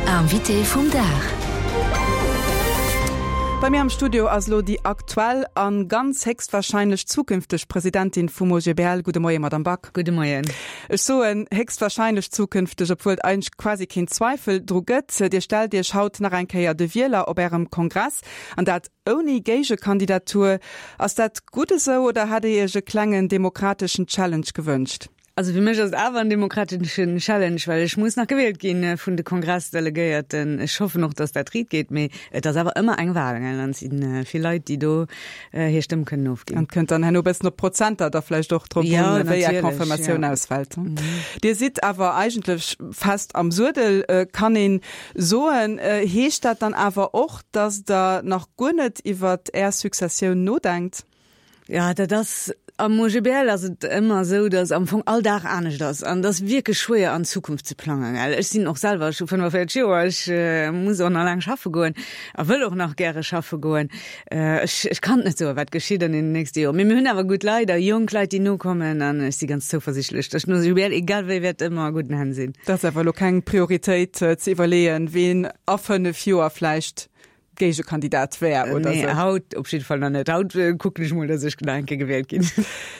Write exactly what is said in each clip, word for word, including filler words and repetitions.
Invité vum Dag. Bei mir am Studio ass lo déi aktuell an ganz héchstwahrscheinlech zukünfteg Presidentin vum O G B L. Gudde Moien, Madame Back. Gudde Moien. Ech soen héchstwahrscheinlech zukünfteg, obwuel et eigentlech quasi keen Zweifel dru gëtt. Dir stellt Iech haut nach eng Kéier de Wieler op Ärem Kongress an dat ouni Géigekandidatur. Ass dat gutt esou oder hätt Dir Iech e klengen demokrateschen Challenge gewënscht? Also fir mech ass et awer en demokrateschen Challenge, well ech muss nach gewielt ginn äh, vun de Kongressdelegéierten. Ech hoffen och, dass dat riit geet, mee et ass awer ëmmer eng Wahl, gell? An et sinn äh, vill Leit, déi do äh, hir Stëmm kënnen ofginn. An kënnt dann herno bëssen op Prozenter da vläicht och drop Ja, un, wéi är natierlech, Confirmatioun ja. ausfält. Mhm. Dir sidd awer eigentlech fest am Suedel, äh, kann een soen. Äh, heescht dat dann awer och, dass Der nach guer net iwwer Är Successioun nodenkt? Ja, dat ass am O G B L ass et ëmmer esou, dass am Fong all Dag anescht ass an dat ass wierklech schwéier an d'Zukunft ze plangen. Gell? Ech sinn och selwer scho fënnefenvéierzeg Joer, ech äh, muss och nach laang schaffe goen a wëll och nach gäre schaffe goen. Äh, ech, ech kann net soen, wat geschitt an den nächste Joer. Mee mir hunn awer gutt Leit, a jonk Leit, déi nokommen an ech si ganz zouversiichtlech, dass den O G B L egal wéi wäert ëmmer a gudden Hänn sinn. Dat ass awer lo keng Prioritéit äh, ze iwwerleeën, wien a fënnef Joer vläicht Géigekandidat wär oder Nee, sou. haut op jidde Fall nach net. Haut äh, kucken ech mol, dass ech nach eng Kéier gewielt ginn.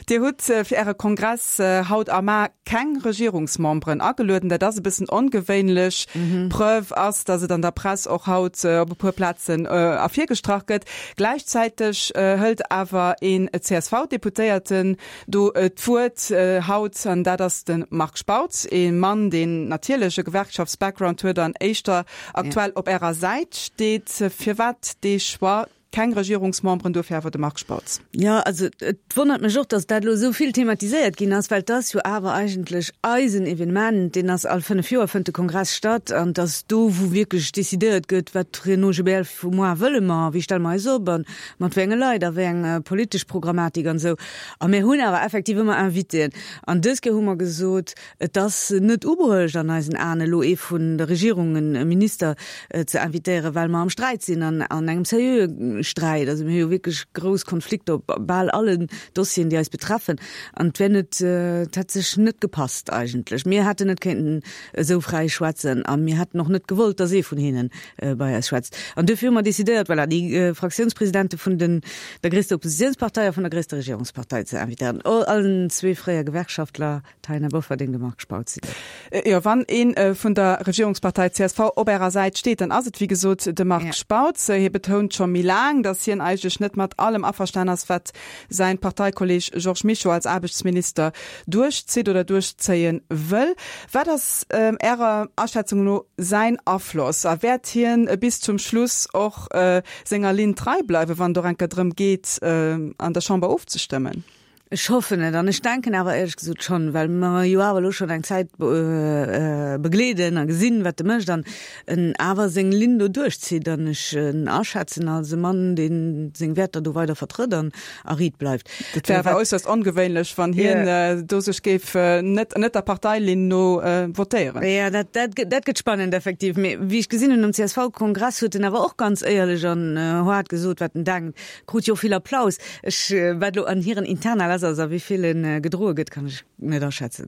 Dir hutt äh, fir Äre Kongress äh, haut a mar keng Regierungsmemberen agelueden. Dat ass e bëssen ongewéinlech. Mhm. Preuve ass, dass et an der Press och haut äh, op e puer Plazen äh, ervirgestrach gëtt. Gläichzäiteg äh, hëlt awer een C S V-Deputéierten do äh, d'Wuert äh, haut an dat ass de Marc Spautz, e Mann, deen natierlech e Gewerkschaftsbackground huet an éischter aktuell ja. op Ärer Säit steet. Firwat dee Choix? Keng Regierungsmemberen, dofir awer de Marc Spautz. Ja, also et wonnert mech och, dass dat lo sou vill thematiséiert ginn ass, well dat ass jo awer eigentlech eisen Evenement, deen ass all fënnef Joer fënnt de Kongress statt an dat ass do, wou wierklech decidéiert gëtt, wat fir en O G B L vu muer wëlle mer, wéi stelle mer eis op an mat wéi enge Leit a wéi eng äh, politesch Programmatik an sou. A mir hunn awer effektiv ëmmer Invitéen. An dës Kéier hu mer gesot, et ass net ubruecht an eisen Aen elo ee vun der Regierung e Minister äh, ze invitéieren, well mer am Sträit sinn an, an engem seriöe Sträit. Also mir hu jo wierklech grouss Konflikter op bal allen Dossieren, déi eis betreffen. An et wär net, äh, et hätt sech net gepasst eigentlech. Mir hätten net kéinten esou fräi schwätzen a mir hätten och net gewollt, dass ee vun hinnen äh, bei eis schwätzt. An dofir hu mer decidéiert, voilà, déi äh, Fraktiounspresidente vun den, der gréisster Oppositiounspartei a vun der gréisster Regierungspartei ze invitéieren. All, allen zwee fréier Gewerkschaftler, Taina Bofferding, de Marc Spautz sinn. Äh, Jo, wann een äh, vun der Regierungspartei C S V op ärer Säit steet, dann ass et wéi gesot de Marc Ja. Spautz. Hie betount scho méi laang, dass hien eigentlech net mat allem averstanen ass, wat säin Parteikolleg Georges Mischo als Aarbechtsminister duerchzitt oder duerchzéie wëll. Wat ass ähm, Ärer Aschätzung no säin Afloss? A wäert hien äh, bis zum Schluss och äh, senger Linn trei bleiwen, wann et och eng Kéier drëm geet, äh, an der Chamber ofzestëmmen? Ech hoffen et an ech denken awer éierlech gesot schonn, well mer jo awer lo schonn eng Zäit äh, äh, begleeden a gesinn, wat de mécht an en awer seng Linn do duerchzitt an ech en aschätzen als e Mann, deen seng Wäerter do weider vertrëtt an a riit bleift. Dat wär awer äusserst ongewéinlech, wann hien Ja. äh, do sech géif äh, net net der Parteilinn no äh, votéieren. Ja, dat, dat, gëtt- dat gëtt spannend effektiv. Mee wéi ech gesinn hunn um C S V-Kongress huet en awer och ganz éierlech an äh, haart gesot, wat en denkt. Krut jo vill Applaus. Ech äh, wat lo an hiren Interna ass, also wéi vill en äh, gedroe gëtt, kann ech net aschätzen.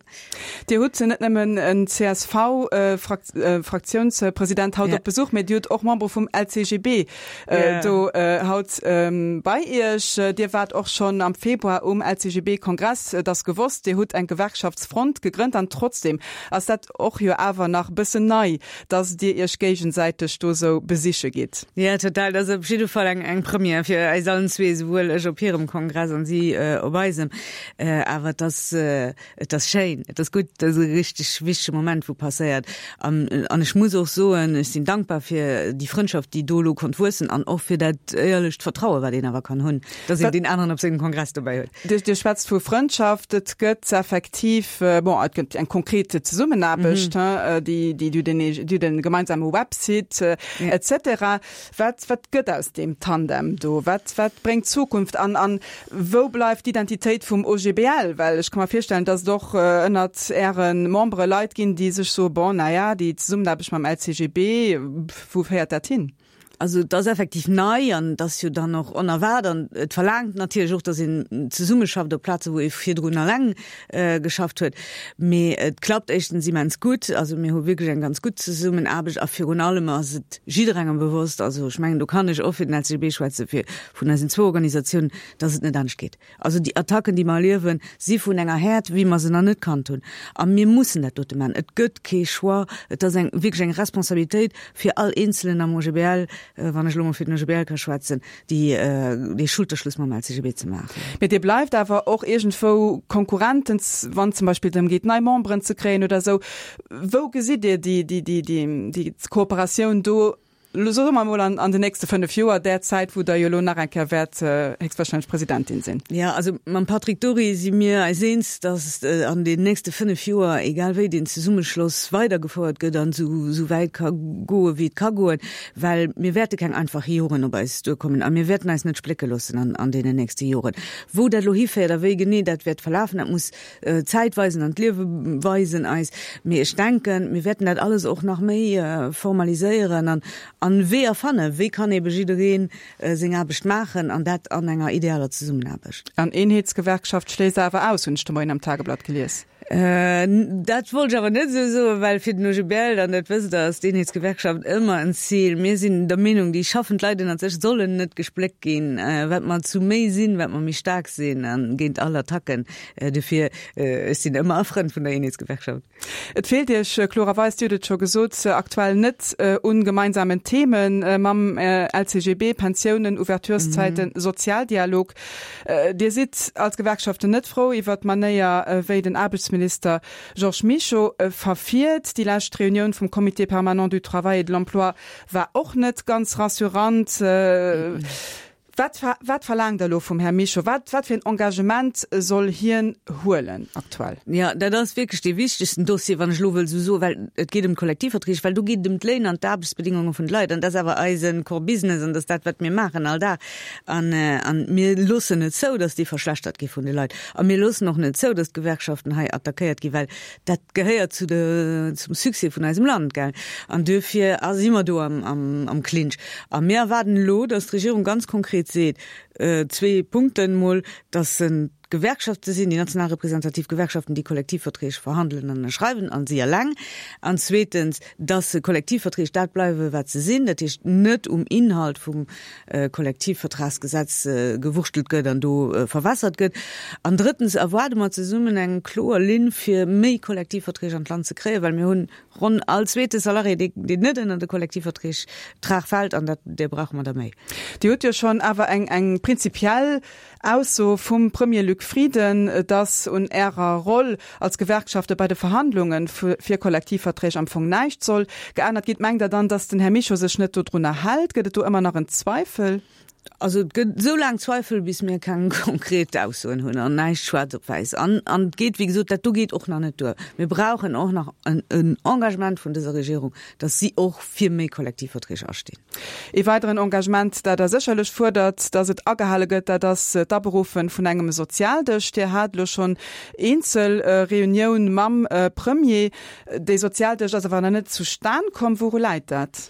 Dir hutt net nëmmen en C S V-Fraktiounspresident haut Ja. op Besuch, mee Dir hutt och Member vum L C G B äh, Ja. do äh, haut ähm, bei Iech. Dir waart och schonn am Februar um L C G B-Kongress, äh, dat gewosst, Dir hutt eng Gewerkschaftsfront gegrënnt an trotzdem ass dat och jo awer nach bëssen nei, dass Dir Iech géigesäiteg do sou besiche gitt. Ja, total. Dat ass op jidde Fall eng, eng Première fir eis allen zwee, souwuel ech op hirem Kongress an si äh, op eisem. Äh, awer dat ass, äh, dat ass schéin, dat ass gutt, dat ass e richteg wichtege Moment, wou passéiert. An, an ech muss och soen, ech sinn dankbar fir déi Frëndschaft, déi do lo konnt wuessen an och fir dat éierlecht Vertraue, wat een awer kann hunn, dass een Wat- den aneren op sengem Kongress dobäi huet. Dir, Dir schwätzt vu Frëndschaft, et gëtt effektiv äh, bon, et gëtt eng konkret Zesummenaarbecht, mhm. äh, déi, déi du den, déi den gemeinsame Website äh, Ja. et cetera. Wat, wat gëtt aus deem Tandem do? Wat, wat bréngt d'Zukunft an an wou bleift d'Identitéit vum O G B L? Well ech ka mer virstellen, dass et och äh, ënnert äre Membere Leit ginn, déi sech soen, bon, naja, déi Zesummenaarbecht mam L C G B, wou féiert dat hin? Also et ass effektiv nei an et ass jo dann och onerwaart an et verlaangt natierlech och, datt een zesummeschafft op Plaze wou ee virdrun eleng geschafft huet. Mee et klappt éischtens immens gutt, also mir hu wierklech eng ganz gutt Zesummenaarbecht a virun allem ass et jidderengem bewosst, also ech mengen do kann ech och fir den L C G B schwätzen, fir vun eisen zwou Organisatiounen, datt et net anescht geet. Also déi Attacken, déi mer erliewen, si vun enger Häert, wéi mer se nach net kannt hunn. A mir mussen dat dote maachen. Et gëtt kee Choix. Et ass eng wierklech eng Responsabilitéit fir all Eenzelen am O G B L, wann ech elo mol fir den O G B L ka schwätzen, déi dee Schulterschluss mam L C G B ze maachen. Mee Dir bleift awer och iergendwou Konkurrenten, wann zum Beispill drëm geet, nei Memberen ze kréien oder esou. Wou gesitt Dir déi, déi, déi, déi Kooperatioun do, soe mer emol, an, an den nächste fënnef Joer, där Zäit, wou Der jo elo nach eng Kéier wäert héchstwahrscheinlech Presidentin sinn? Jo, also mam Patrick Dury si mir eis eens, datt an den nächste fënnef Joer, egal wéi, deen Zesummeschloss weidergefouert gëtt an esou, esou wäit ka goen, wéi et ka goen, well mir wäerte keng einfach Joren op eis duerkommen a mir wäerten eis net splécke loossen an, an deenen nächste Joren. Wou dat elo hiféiert a wéi genee dat wäert verlafen, dat muss d'Zäit weisen an d'Liewe weisen eis. Mee ech denken, mir wäerten dat alles och nach méi formaliséieren an, an Weeër fannen, wéi kann ebe jidderee seng Aarbecht maachen an dat an enger idealer Zesummenaarbecht. An Eenheetsgewerkschaft schléisst Der awer aus, hunn ech de Moien am Tageblatt gelies. Dat wollt ech awer net esou soen, well fir den O G B L, an dat wësst Der, ass d'Eenheetsgewerkschaft ëmmer en Zil. Mir sinn der Meenung, déi schaffend Leit ënnert sech sollen net gespléckt ginn. Wat mer zu méi sinn, wat mer méi staark sinn a géint all Attacken. Dofir, ech sinn ëmmer e Frënd vun der Eenheetsgewerkschaft. Et feelt Iech klorerweis, Dir hutt et scho gesot, aktuell net un gemeinsamen Themen mam L C G B, Pensiounen, Ouvertureszäiten, Sozialdialog. Dir sidd als Gewerkschaften net frou iwwert d'Manéier, wéi den Aarbechtsminister Georges Mischo verfiert. Déi lescht Reunioun vum Comité permanent du travail et de l'emploi war och net ganz rassurant. Wat, wat verlaangt Der elo vum Här Mischo? Wat, wat fir en Engagement soll hien huelen aktuell? Ja, dat ass wierklech dee wichtegsten Dossier, wann ech elo wëll esou soen, well et geet ëm d'Kollektivverträg, well do geet et ëm d'Léin an d'Aarbechtsbedingunge vun de Leit. An dat ass awer eise Core Business an dat ass dat, wat mir maachen all Dag. An, an mir loossen net zou, dass déi verschlechtert gi vun de Leit. A mir loossen och net zou, dass d'Gewerkschaften hei attackéiert ginn, well dat gehéiert zu de, zum Succès vun eisem Land, gell. An duerfir si mer do am, am, am Clinch. A mir erwaarden elo, dass d'Regierung ganz konkret seet, zwee Punkten emol, dass en d'Gewerkschafte sinn, déi national representativ Gewerkschaften, déi Kollektivverträg verhandelen an ënnerschreiwen, an si eleng, an zweetens, dass Kollektivverträg dat bleiwe wat se sinn, dat heescht net um Inhalt vum Kollektivvertragsgesetz gewurschtelt gëtt an do verwässert gëtt. An drëttens erwaarde mer zesummen eng kloer Linn, fir méi Kollektivverträg an d'Land ze kréien, well mir hunn ronn all zweete Salarié, deen net ënner de Kollektivverträg fält, an dat, där brauche mer der méi. Dir hutt jo schonn awer eng eng prinzipiell Ausso vum Premier Luc Frieden, dass un Ärer Roll als Gewerkschafte bei de Verhandlunge fir Kollektivverträg am Fong näischt soll geännert ginn. Mengt Der dann, dass den Här Mischo sech net dodrunner hält? Gëtt et do ëmmer nach en Zweifel? Also et gëtt esou laang Zweifel, bis mir keng konkret Aussoen hunn an näischt schwaarz op wäiss. An an et geet, wéi gesot, dat do geet och nach net duer. Mir brauchen och nach en en Engagement vun dëser Regierung, dass si och fir méi Kollektivverträg astinn. Ee weideren Engagement, dat Der sécherlech fuerdert, dass et agehale gëtt, dat ass d'Aberuffe vun engem Sozialdësch. Dir hat elo schonn eenzel Reunioun mam Premier. Dee Sozialdësch ass awer nach net zustan komm. Wouru läit dat?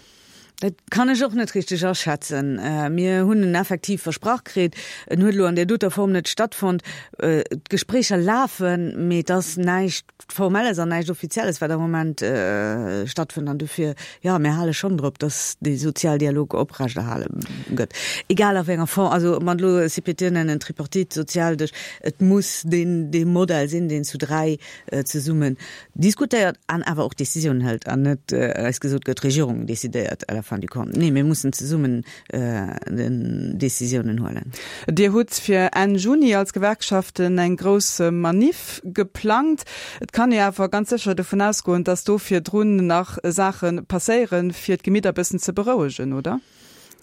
Dat kann ech och net richteg aschätzen. Mir hunn en effektiv versprach kritt. En huet elo an där doter Form net stattfonnt. D'Gespréicher lafen, mee et ass näischt Formelles an näischt Offizielles, wat am Moment stattfënnt. An dofir, jo, mir hale schonn drop, datt dee Sozialdialog oprechterhale gëtt, egal a wéi enger Form. Also ob mer et elo C P T nennen, Tripartite, Sozialdësch, et muss deen, dee Modell sinn, deen zu dräi zesummen diskutéiert an awer och Décisiounen hëlt an net eis gesot gëtt, d'Regierung décidéiert à la fin du compte. Nee, mir mussen zesummen Décisiounen huelen. Dir hutt fir Enn Juni als Gewerkschaften eng grouss Maniff geplangt. Et kann ee awer ganz sécher dovun ausgoen, datt do virdrun nach Saache passéieren, fir d'Gemidder bëssen ze berouegen, oder?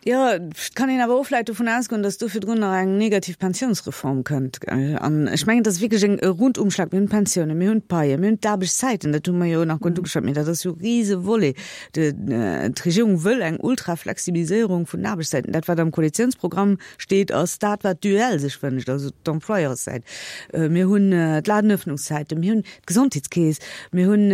Jo, et kann een awer och vläicht dovun ausgoen, datt do virdrun nach eng negativ Pensiounsreform kënnt. An ech mengen, et ass wierklech eng e Rundumschlag. Mir hunn d'Pensiounen, mir hunn d'Paien, mir hunn d'Aarbechtszäiten, dat hu mer jo nach guer net ugeschwat, mee dat ass jo e rise Volet. D'Regierung wëll eng Ultraflexibiliséierung vun den Aarbechtszäiten. Dat, wat am Koalitiounsprogramm steet, ass dat, wat d'UEL sech wënscht, also d'Employeurssäit. Mir hunn d'Ladenöffnungszäiten, mir hunn d'Gesondheetskeess, mir hunn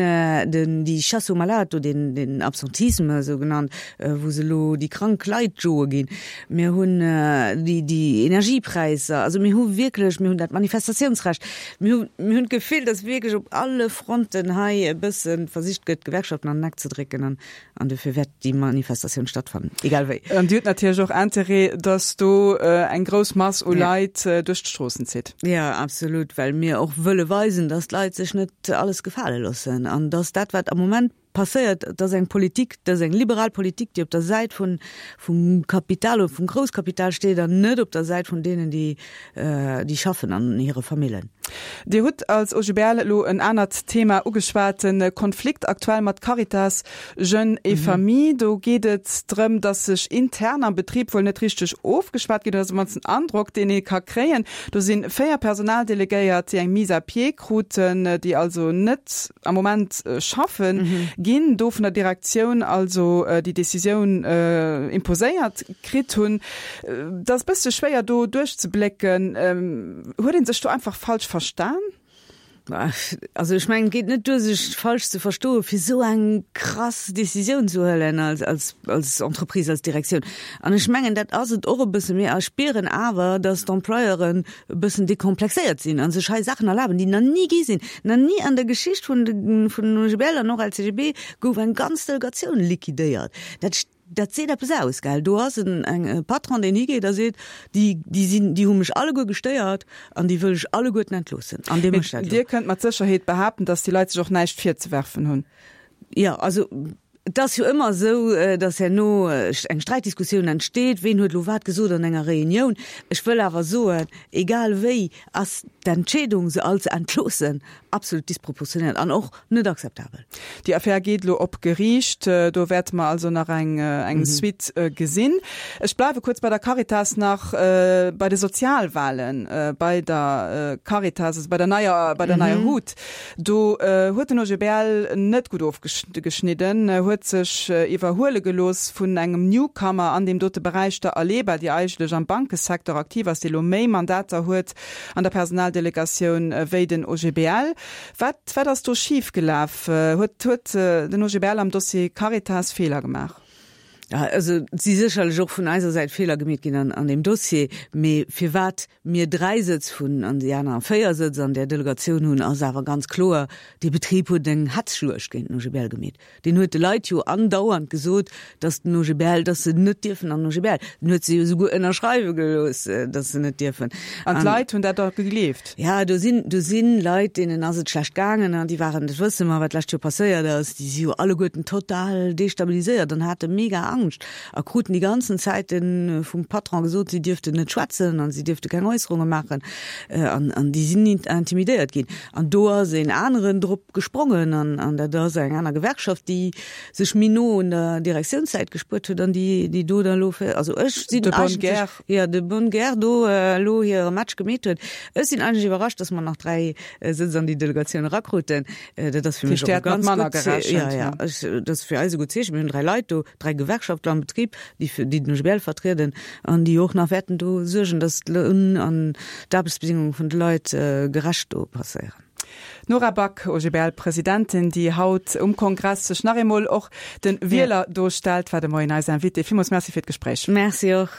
den, déi Chasse aux malades do, den, den Absentisme esou genannt, wou se elo déi krank Leit joe ginn. Mir hunn déi, déi Energiepräisser. Also mir hu wierklech, mir hunn dat Manifestatiounsrecht. Mir hu, mir hunn d'Gefill, datt wierklech op alle Fronten hei e bësse versicht gëtt, d'Gewerkschaften an den Eck ze drécken. An, an dofir wäert déi Manifestatioun stattfannen, egal wéi. An Dir hutt natierlech och Interêt, datt do eng grouss Mass u Leit duerch d'Stroossen zitt. Jo, absolut, well mir och wëlle weisen, datt d'Leit sech net alles gefale loossen an datt dat, wat am Moment passéiert, dat ass eng Politik, dat ass eng liberal Politik, déi op der Säit vun, vum Kapital oder vum Grousskapital steet an net op der Säit vun deenen, déi, déi schaffen an hire Famillen. Dir hutt als OGBL elo en anert Thema ugeschwat, de Konflikt aktuell mat Caritas Jeunes et Familles. Do geet et drëm, datt sech intern am Betrib wuel net richteg ofgeschwat ginn, dat ass op mannst den Androck, deen ee ka kréien. Do si véier Personaldelegéiert, déi eng Mise à pied kruten, déi also net am Moment schaffe ginn, do vun der Direktioun also déi Decisioun imposéiert kritt hunn. Et ass e bësse schwéier do duerchzeblécken. Huet ee sech do einfach falsch verstan? Also ech mengen, et geet net duer sech falsch ze verstoen, fir esou eng krass Decisioun ze huelen als, als, als Entreprise, als Direktioun. An ech mengen, dat ass et och e bësse. Mir spieren awer, datt d'Employeuren e bëssen dekomplexéiert sinn a sech hei Saachen erlaben, déi nach ni gi sinn. Nach ni an der Geschicht vun de, vun den OGBL an och LCGB gouf eng ganz Delegatioun liquidéiert. Dat Dat seet eppes aus, gell? Do ass en eng e Patron, deen higeet a seet, déi, déi sinn, déi hu mech alleguer gestéiert an déi wëll ech alleguerten entloossen. An dee Mee mécht dat elo. Dir kënnt mat Sécherheet behaapten, datt déi Leit sech och näischt virzewerfen hunn. Jo, also et ass jo ëmmer esou, datt herno eng Sträitdiskussioun entsteet, ween huet elo wat gesot an enger Reunioun. Ech wëll awer soen, egal wéi ass d'Entscheedung, se all ze entloossen, absolut disproportionéiert an och net akzeptabel. Déi Affär geet elo op Geriicht. Do wäerte mer also nach eng Suite gesinn. Ech bleiwe kuerz bei der Caritas nach, bei de Sozialwahlen bei der Caritas, also bei der neier, bei der neier HUT. Do huet den OGBL net gutt ofgeschnidden, huet sech iwwerhuele gelooss vun engem Newcomer an deem dote Beräich, der Aleba, déi eigentlech am Bankesecteur aktiv ass, déi elo méi Mandater huet an der Personaldelegatioun wéi den OGBL. Wat, wat ass do schif gelaf? Huet, huet den OGBL am Dossier Caritas Feeler gemaach? Ja, also et si sécherlech och vun eiser Säit Feeler gemeet ginn an, an deem Dossier. Mee firwat mir dräi Sëtz vun an déi aner véier Sëtz an där Delegatioun hunn, ass awer ganz kloer, Dee Betrib huet eng Hetzschluecht géint den OGBL gemeet. Deen huet de Leit jo andauernd gesot, datt den OGBL, datt se net dierfen an den OGBL. Den huet se jo souguer ënnerschreiwe gelooss, datt se net dierfen. An d'Leit hunn dat da gegleeft? Ja, do sinn, do sinn Leit, deenen ass et schlecht gaangen an déi waren, dat wësse mer, wat d'lescht Joer passéiert ass, déi si jo alleguerten total destabiliséiert an hate mega Angscht a kruten déi ganzen Zäite vum Patron gesot, si dierften net schwätzen an si dierfte keng Äusserunge maachen an, an déi sinn intimidéiert ginn. An do ass een aneren drop gesprongen an, an dat ass eng aner Gewerkschaft, déi sech méi no un der Direktiounssäit gespuert huet an déi, déi do da lo fir, also ech sinn De bonne eigentlech, guerre. jo, de bonne guerre do elo hire Match gemeet huet. Ech sinn eigentlech iwwerrascht, datt mer nach dräi Sëtz an déi Delegatioun erakruten. Dat ass fir Fir mech och e Dir hätt mat ganz manner gutt Zee, ja, gerechent, ja, ne? ech, dat ass fir eis e gutt Zeechen. Mir hunn dräi Leit do, dräi Gewerkschaftler am Betrib, déi fir, déi den OGBL vertrieden an déi och nach wäerten do suergen, datt d'Loun an d'Aarbechtsbedingunge vun de Leit gerecht do passéieren. D'Nora Back, OGBL-Presidentin, déi haut um Kongress sech nach eemol och de Wieler do stellt, war de Moien eis Invitée. Villmools Merci fir d'Gespréich. Merci och.